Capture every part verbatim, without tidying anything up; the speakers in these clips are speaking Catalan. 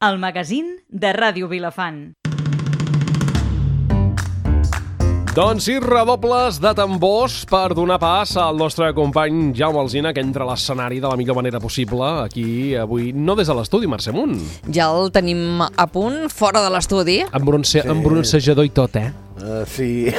El magazín de Ràdio Vilafant. Doncs sí, redobles de tambors per donar pas al nostre company Jaume Alsina, que entra a l'escenari de la millor manera possible aquí avui, no des de l'estudi, Mercè Munt. Ja el tenim a punt, fora de l'estudi. Amb, bronce, sí. amb bronzejador i tot, eh? Uh, sí.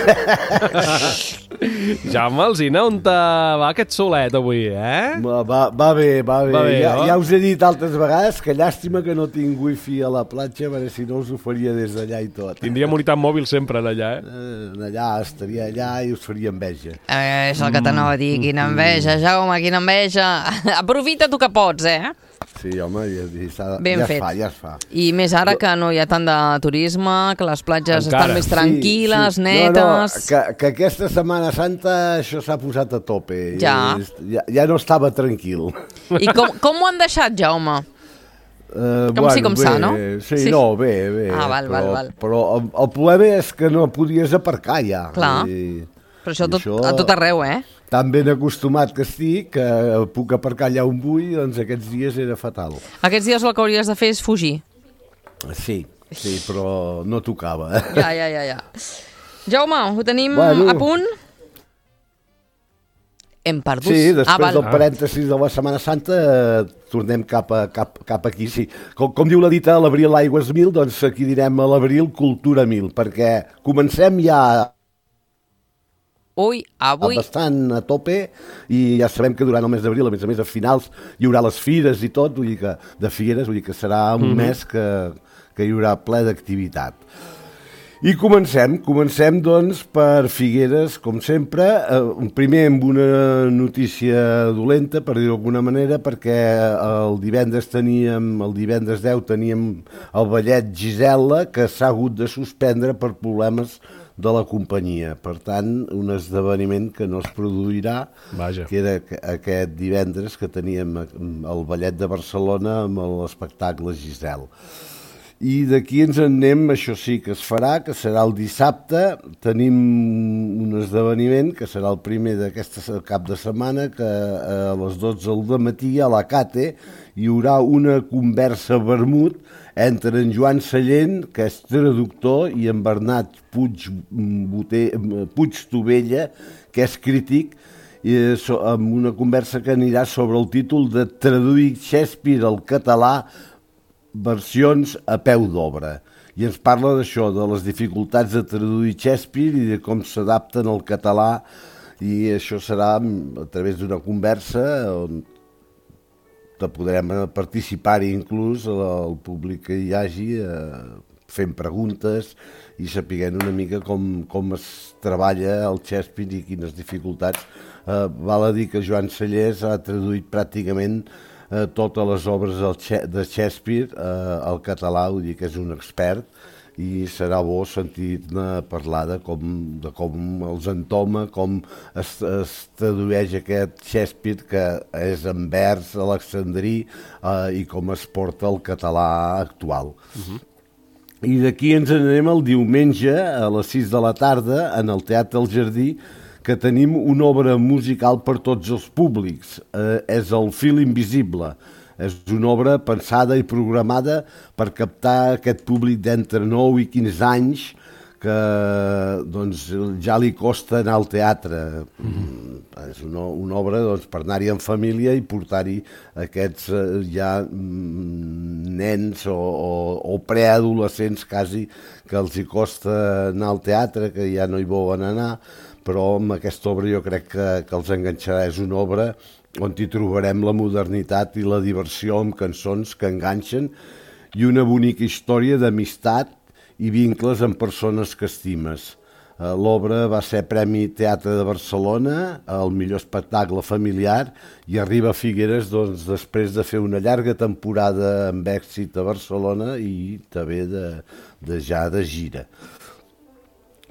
Jaume Alsina, on te va aquest solet avui, eh? Va, va, va bé, va bé. Va bé, ja, no? ja us he dit altres vegades que llàstima que no tinc wifi a la platja, perquè si no us ho faria des d'allà i tot. Tindríem unitat mòbil sempre allà, eh? Uh, allà, estaria allà i us faria enveja. Eh, és el que t'anava a dir, quina enveja, Jaume, quina enveja. Aprofita tu que pots, eh? Sí, home, ja, ja, Ben ja fet. es fa, ja es fa. I més ara que no hi ha tant de turisme, que les platges Encara. estan més tranquil·les, sí, sí. netes... No, no, que, que aquesta Setmana Santa això s'ha posat a tope. Ja. ja. Ja no estava tranquil. I com, com ho han deixat, Jaume? Uh, Com sí, com bé, s'ha, no? Sí, Sí. no, bé, bé. Ah, val, però, val, val. Però el, el problema és que no podies aparcar ja. Clar. I, Però això, i tot, a tot arreu, eh? Tan ben acostumat que estic, que puc aparcar allà on vull, doncs aquests dies era fatal. Aquests dies el que hauries de fer és fugir. Sí, sí, però no tocava. Ja, ja, ja, ja. Jaume, ho tenim Bueno. a punt? Hem perdut. Sí, després ah, val. del parèntesis de la Setmana Santa eh, tornem cap, a, cap, cap aquí, sí. Com, com diu la dita, a l'abril aigües mil, doncs aquí direm a l'abril cultura mil, perquè comencem ja Ui, avui... bastant a tope i ja sabem que durant el mes d'abril, a més a més a finals, hi haurà les fires i tot, vull dir que de fires, vull dir que serà un mm-hmm. mes que, que hi haurà ple d'activitat. I comencem, comencem doncs per Figueres, com sempre, eh, primer amb una notícia dolenta, per dir-ho d'alguna manera, perquè el divendres teníem, el divendres deu teníem el ballet Gisela, que s'ha hagut de suspendre per problemes de la companyia. Per tant, un esdeveniment que no es produirà, Vaja. que era aquest divendres que teníem el ballet de Barcelona amb l'espectacle Gisela. I d'aquí ens en anem, això sí que es farà, que serà el dissabte. Tenim un esdeveniment, que serà el primer d'aquest cap de setmana, que a les dotze del matí a la Cate hi haurà una conversa vermut entre en Joan Sallent, que és traductor, i en Bernat Puig, Boter, Puig Tovella, que és crític, i amb una conversa que anirà sobre el títol de Traduir Shakespeare al català, versions a peu d'obra. I ens parla d'això, de les dificultats de traduir Shakespeare i de com s'adapten al català, i això serà a través d'una conversa on podrem participar-hi inclús el públic que hi hagi eh, fent preguntes i sapiguent una mica com, com es treballa el Shakespeare i quines dificultats. Eh, val a dir que Joan Sallés ha traduït pràcticament Eh, totes les obres de Shakespeare eh, al català, vull dir que és un expert i serà bo sentir-ne parlar de com, de com els entoma, com es, es tradueix aquest Shakespeare que és en vers alexandrí eh, i com es porta al català actual. Uh-huh. I d'aquí ens anem el diumenge a les sis de la tarda en el Teatre El Jardí, que tenim una obra musical per tots els públics. Eh, és el Fil Invisible. És una obra pensada i programada per captar aquest públic d'entre nou i quinze anys que doncs, ja li costa anar al teatre. Mm-hmm. És una, una obra doncs, per anar-hi en família i portar-hi aquests eh, ja mm, nens o, o, o preadolescents quasi que els hi costa anar al teatre, que ja no hi volen anar, però amb aquesta obra jo crec que, que els enganxarà. És una obra on hi trobarem la modernitat i la diversió amb cançons que enganxen i una bonica història d'amistat i vincles amb persones que estimes. L'obra va ser Premi Teatre de Barcelona, el millor espectacle familiar, i arriba a Figueres doncs, després de fer una llarga temporada amb èxit a Barcelona i també de, de ja de gira.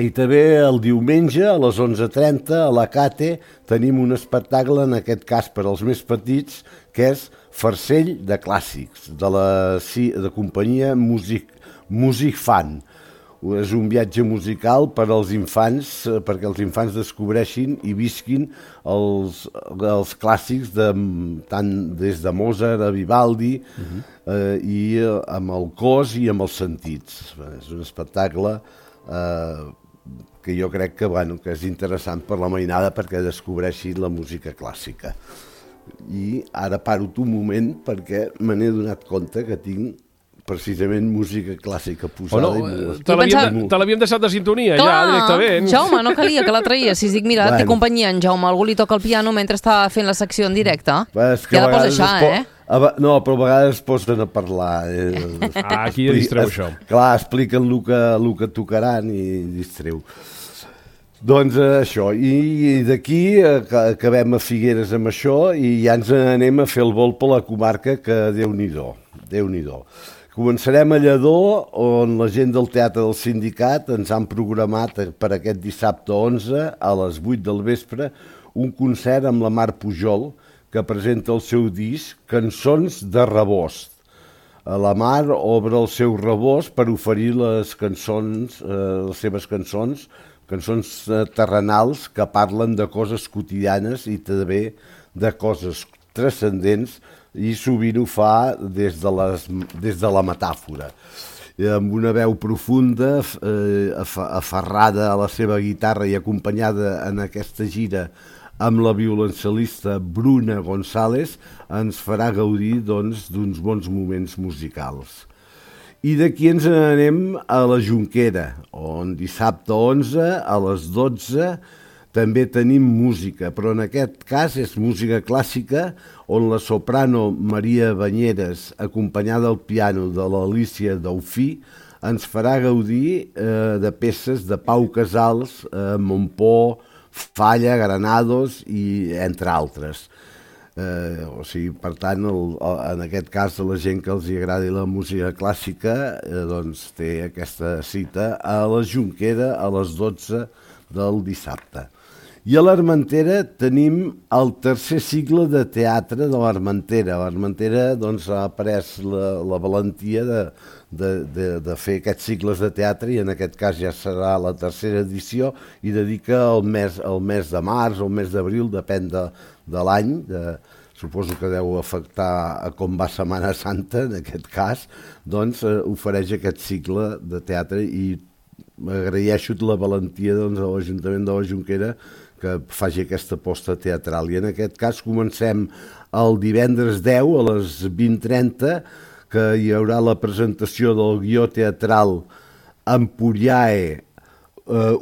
I també el diumenge a les onze trenta a la Cate tenim un espectacle, en aquest cas per als més petits, que és Farcell de Clàssics, de la de companyia Music, Music Fan. és un viatge musical per als infants, perquè els infants descobreixin i visquin els, els clàssics de, tant des de Mozart a Vivaldi, uh-huh. eh, i amb el cos i amb els sentits. És un espectacle eh, que jo crec que, bueno, que és interessant per la mainada perquè descobreixi la música clàssica. I ara paro un moment perquè me n'he donat compte que tinc precisament música clàssica posada. Oh, no, i te l'havíem pensava... deixat de sintonia. Clar, ja, directament. Jaume, no calia que la traiessis. Dic, mira, bueno. Té companyia en Jaume, algú li toca el piano mentre està fent la secció en directe. Ja la posa això, po... eh? No, però a vegades es posen a parlar. Ah, aquí ja distreu es... això. Clar, expliquen el que, el que tocaran i distreu. Doncs això, i d'aquí acabem a Figueres amb això i ja ens anem a fer el vol per la comarca, que Déu-n'hi-do, Déu-n'hi-do. Començarem a Lledó, on la gent del Teatre del Sindicat ens han programat per aquest dissabte onze a les vuit del vespre un concert amb la Mar Pujol, que presenta el seu disc Cançons de Rebost. La Mar obre el seu rebost per oferir les cançons, eh, les seves cançons, cançons terrenals que parlen de coses quotidianes i també de coses transcendents, i sovint ho fa des de, les, des de la metàfora. Amb una veu profunda, eh, aferrada a la seva guitarra i acompanyada en aquesta gira amb la violoncel·lista Bruna González, ens farà gaudir doncs, d'uns bons moments musicals. I d'aquí ens anem a la Jonquera, on dissabte onze a les dotze també tenim música, però en aquest cas és música clàssica, on la soprano Maria Banyeres, acompanyada al piano de l'Alícia Daufí, ens farà gaudir eh, de peces de Pau Casals, eh, Montpó, Falla, Granados i entre altres. Eh, o sigui, per tant, el, en aquest cas, a la gent que els agradi la música clàssica, eh, doncs té aquesta cita a la Jonquera a les dotze del dissabte. I a l'Armentera tenim el tercer cicle de teatre de l'Armentera. L'Armentera doncs, ha pres la, la valentia de, de, de, de fer aquests cicles de teatre, i en aquest cas ja serà la tercera edició, i dedica el mes, el mes de març o el mes d'abril, depèn de, de l'any, de, suposo que deu afectar a com va Setmana Santa, en aquest cas, doncs eh, ofereix aquest cicle de teatre, i agraeixo la valentia doncs, a l'Ajuntament de la Jonquera que faci aquesta aposta teatral. I en aquest cas comencem el divendres deu a les vint trenta, que hi haurà la presentació del guió teatral Empuriae,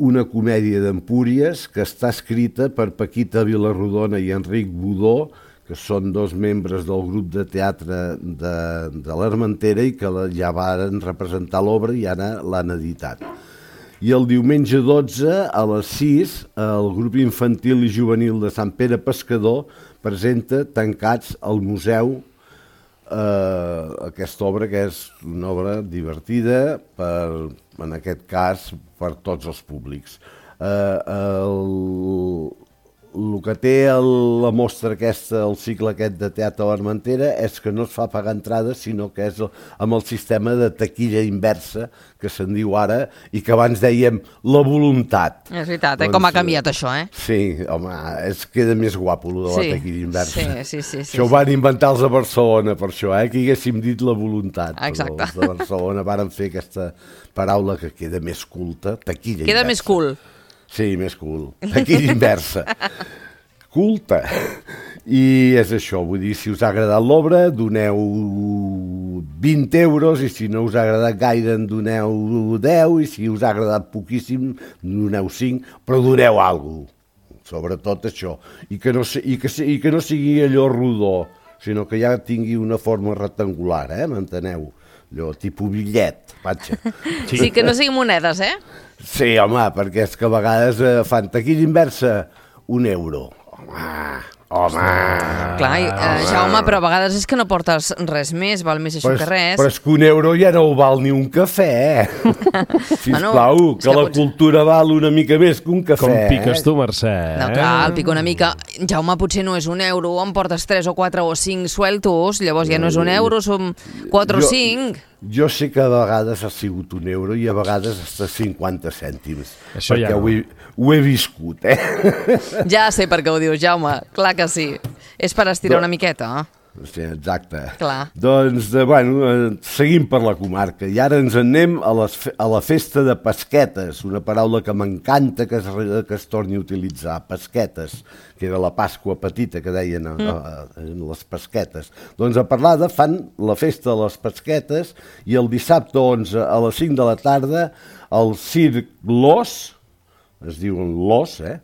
una comèdia d'Empúries, que està escrita per Paquita Vilarrodona i Enric Budó, que són dos membres del grup de teatre de, de l'Armentera i que ja varen representar l'obra i ara l'han editat. I el diumenge dotze, a les sis, el grup infantil i juvenil de Sant Pere Pescador presenta Tancats al Museu, eh, aquesta obra que és una obra divertida, per, en aquest cas, per tots els públics. Eh, el, el que té el, la mostra aquesta, el cicle aquest de teatre a l'Armentera, és que no es fa pagar entrada, sinó que és el, amb el sistema de taquilla inversa, que se'n diu ara, i que abans dèiem la voluntat. És veritat, doncs, eh? Com ha canviat això, eh? Sí, home, es queda més guapo, lo de sí, la taquilla inversa. Sí, sí, sí. sí això ho van inventar els de Barcelona, per això, eh? Que haguéssim dit la voluntat. Exacte. Però els de Barcelona varen fer aquesta paraula que queda més culta, taquilla queda inversa. Queda més cool. Sí, més cool. Taquilla inversa. Culta. I és això, vull dir, si us ha agradat l'obra, doneu vint euros, i si no us ha agradat gaire, en doneu deu, i si us ha agradat poquíssim, doneu cinc, però doneu alguna cosa. Sobretot això. I que no, i que, i que no sigui allò rodó, sinó que ja tingui una forma rectangular, eh? M'enteneu? Allò, tipus bitllet, patxa. Sí. Sí, que no siguin monedes, eh? Sí, home, perquè és que a vegades eh, fan taquilla inversa, un euro. Home, home. Clar, eh, Jaume, però a vegades és que no portes res més, val més això però, que res. Però és que un euro ja no val ni un cafè. Sisplau, bueno, que, que la pots... cultura val una mica més que un cafè. Com piques tu, Mercè? No, clar, el pico una mica. Jaume, potser no és un euro, em portes tres o quatre o cinc sueltos, llavors ja no és un euro, són quatre o cinc. Jo sé que a vegades ha sigut un euro i a vegades hasta cinquanta cèntims. Això perquè ja no. ho, he, ho he viscut, eh? Ja sé per què ho dius, Jaume. Clar que sí. És per estirar una miqueta, eh? Sí, exacte. Clar. Doncs, de, bueno, eh, seguim per la comarca i ara ens en anem a, les, a la festa de pesquetes, una paraula que m'encanta que, es, que es torni a utilitzar, pesquetes, que era la Pasqua petita que deien a, a, a, a les pesquetes. Doncs a Parlada fan la festa de les pesquetes i el dissabte onze a les cinc de la tarda el Circ Los, es diuen Los, eh?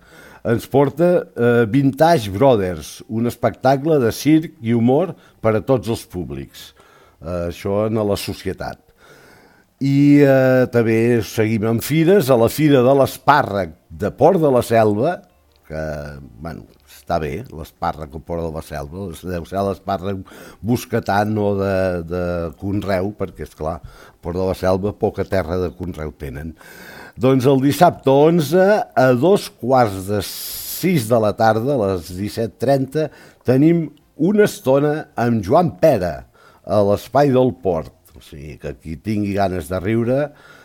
ens porta eh, Vintage Brothers, un espectacle de circ i humor per a tots els públics. Eh, això en la societat. I eh, també seguim amb fires, a la Fira de l'Espàrrec de Port de la Selva, que, bueno, està bé, l'espàrrec al Port de la Selva, deu ser l'espàrrec bosquetant o de, de conreu, perquè, esclar, Port de la Selva poca terra de conreu tenen. Doncs el dissabte onze, a dos quarts de sis de la tarda, a les disset trenta, tenim una estona amb Joan Pera a l'Espai del Port. O sigui, que qui tingui ganes de riure,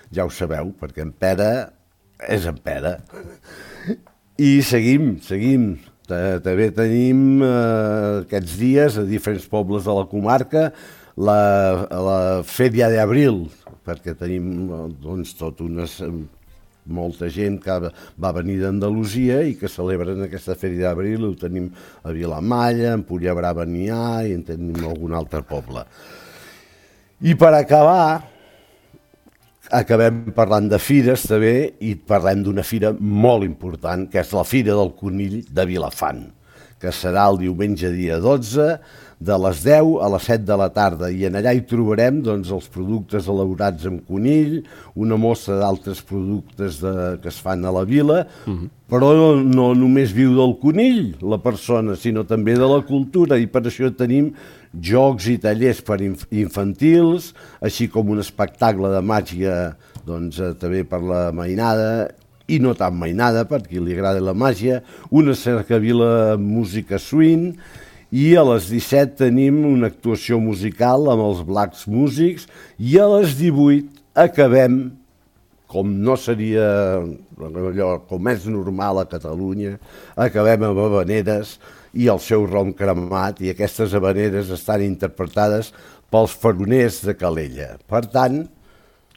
ja ho sabeu, perquè en Pera és en Pera. I seguim, seguim. També tenim eh, aquests dies a diferents pobles de la comarca la, la Fèria d'Abril, perquè tenim doncs, tot unes... molta gent que va venir d'Andalusia i que celebren aquesta Fèria d'Abril, ho tenim a Vilamalla, en Puiglabrava n'hi ha i en tenim algun altre poble. I per acabar, acabem parlant de fires també i parlem d'una fira molt important, que és la Fira del Conill de Vilafant, que serà el diumenge dia dotze, de les deu a les set de la tarda, i en allà hi trobarem doncs, els productes elaborats amb conill, una mostra d'altres productes de, que es fan a la vila, uh-huh. però no, no només viu del conill la persona, sinó també de la cultura, i per això tenim jocs i tallers per inf infantils, així com un espectacle de màgia doncs, eh, també per la mainada, i no tan mainada, per qui li agrada la màgia, una cercavila amb música swing, i a les disset tenim una actuació musical amb els Blacks Músics i a les divuit acabem, com no seria allò, com és normal a Catalunya, acabem amb habaneres i el seu rom cremat, i aquestes habaneres estan interpretades pels faroners de Calella. Per tant...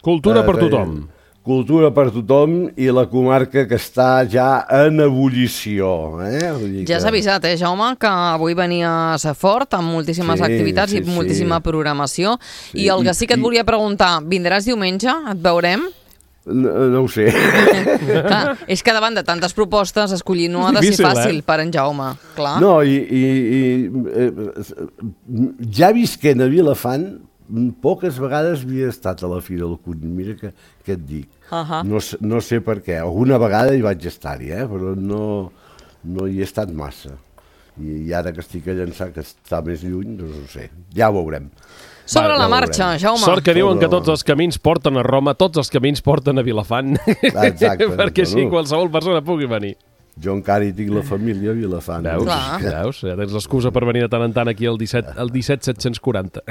Cultura eh, per tothom. Cultura per tothom i la comarca que està ja en ebullició. Eh? Que... Ja s'ha avisat, eh, Jaume, que avui venia a ser fort amb moltíssimes sí, activitats sí, i moltíssima sí. programació. Sí, I el que sí que et volia preguntar, vindràs diumenge? Et veurem? No, no ho sé. Clar, és que davant de tantes propostes escollir no ha de ser fàcil eh? per en Jaume. Clar. No, i, i, i eh, ja visquent a Vilafant, poques vegades havia estat a la Fira del Conill, mira que, que et dic. Uh -huh. no, no sé per què, alguna vegada hi vaig estar-hi, eh? però no, no hi he estat massa. I, I ara que estic a llançar, que està més lluny, doncs no ho sé, ja ho veurem. Sobre Va, la ja marxa, Jaume. Sort que diuen que tots els camins porten a Roma, tots els camins porten a Vilafant. Exacte. Perquè així qualsevol persona pugui venir. Jo encara hi tinc la família a Vilafant. Veus? Veus? Ja tens l'excusa per venir de tant en tant aquí al disset set quaranta.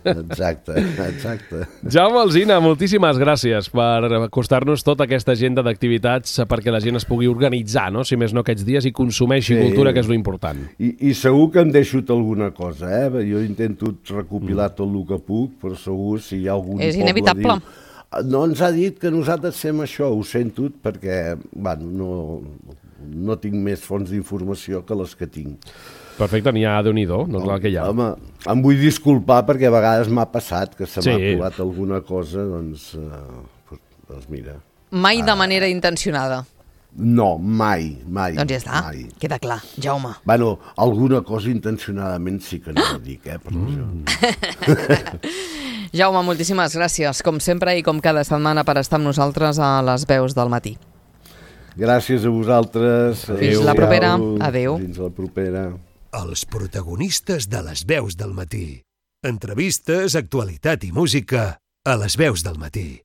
Exacte, exacte. Jaume Alsina, moltíssimes gràcies per acostar-nos tota aquesta agenda d'activitats perquè la gent es pugui organitzar, no? Si més no aquests dies, i consumeixi sí. cultura, que és l'important. I, I segur que em deixo alguna cosa, eh? Jo intento recopilar mm. tot el que puc, però segur si hi ha algun és poble inevitable. Diu, no ens ha dit que nosaltres fem això, ho sento, perquè bueno, no... no tinc més fonts d'informació que les que tinc. Perfecte, n'hi ha de Déu-n'hi-do, no és el que hi ha. Home, em vull disculpar perquè a vegades m'ha passat que se m'ha sí. colat alguna cosa, doncs, eh, doncs mira. Mai de manera intencionada. No, mai, mai. Doncs ja està, mai. Queda clar, Jaume. Bueno, alguna cosa intencionadament sí que no la dic, eh, per mm. Jaume, moltíssimes gràcies, com sempre i com cada setmana, per estar amb nosaltres a les veus del matí. Gràcies a vosaltres. Fins Adeu. la propera. Adéu. Fins la propera. Els protagonistes de les veus del matí. Entrevistes, actualitat i música a les veus del matí.